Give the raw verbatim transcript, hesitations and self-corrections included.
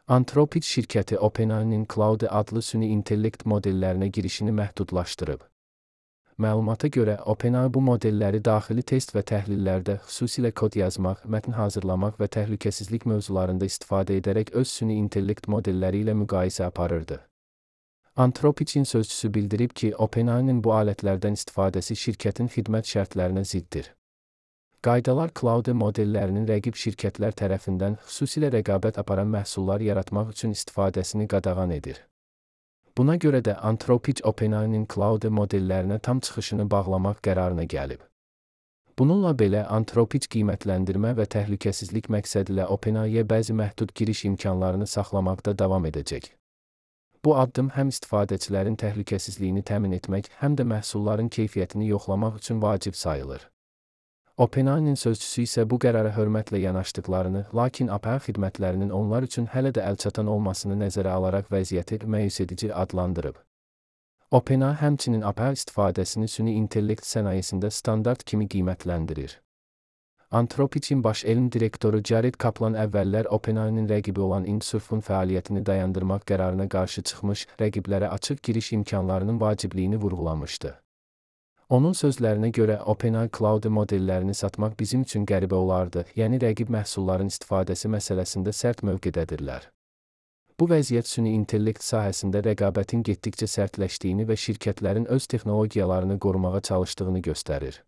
Anthropic şirkəti OpenAI-nin Claude adlı süni intellekt modellərinə girişini məhdudlaşdırıb. Məlumata görə, OpenAI bu modelləri daxili test və təhlillərdə, xüsusilə kod yazmaq, mətn hazırlamaq və təhlükəsizlik mövzularında istifadə edərək öz süni intellekt modelləri ilə müqayisə aparırdı. Anthropic'in sözçüsü bildirib ki, OpenAI-nin bu alətlərdən istifadəsi şirkətin xidmət şərtlərinə ziddir. Qaydalar Claude modellərinin rəqib şirkətlər tərəfindən xüsusilə rəqabət aparan məhsullar yaratmaq üçün istifadəsini qadağan edir. Buna görə də Anthropic OpenAI-nin Claude modellərinə tam çıxışını bağlamaq qərarına gəlib. Bununla belə Anthropic qiymətləndirmə və təhlükəsizlik məqsədilə OpenAI-yə bəzi məhdud giriş imkanlarını saxlamaqda davam edəcək. Bu addım həm istifadəçilərin təhlükəsizliyini təmin etmək, həm də məhsulların keyfiyyətini yoxlamaq üçün vacib sayılır. OpenAI-nin sözçüsü isə bu qərara hörmətlə yanaşdıqlarını, lakin A P I xidmətlərinin onlar üçün hələ də əlçatan olmasını nəzərə alaraq vəziyyəti məyus edici adlandırıb. OpenAI həmçinin A P I istifadəsini süni intellekt sənayesində standart kimi qiymətləndirir. Anthropic'in baş elm direktoru Jared Kaplan əvvəllər OpenAI-nin rəqibi olan InSurf'un fəaliyyətini dayandırmaq qərarına qarşı çıxmış, rəqiblərə açıq giriş imkanlarının vacibliyini vurğulamışdı. Onun sözlərinə görə OpenAI Claude modellərini satmaq bizim üçün qəribə olardı, yəni rəqib məhsulların istifadəsi məsələsində sərt mövqedədirlər. Bu vəziyyət süni intellekt sahəsində rəqabətin getdikcə sərtləşdiyini və şirkətlərin öz texnologiyalarını qorumağa çalışdığını göstərir.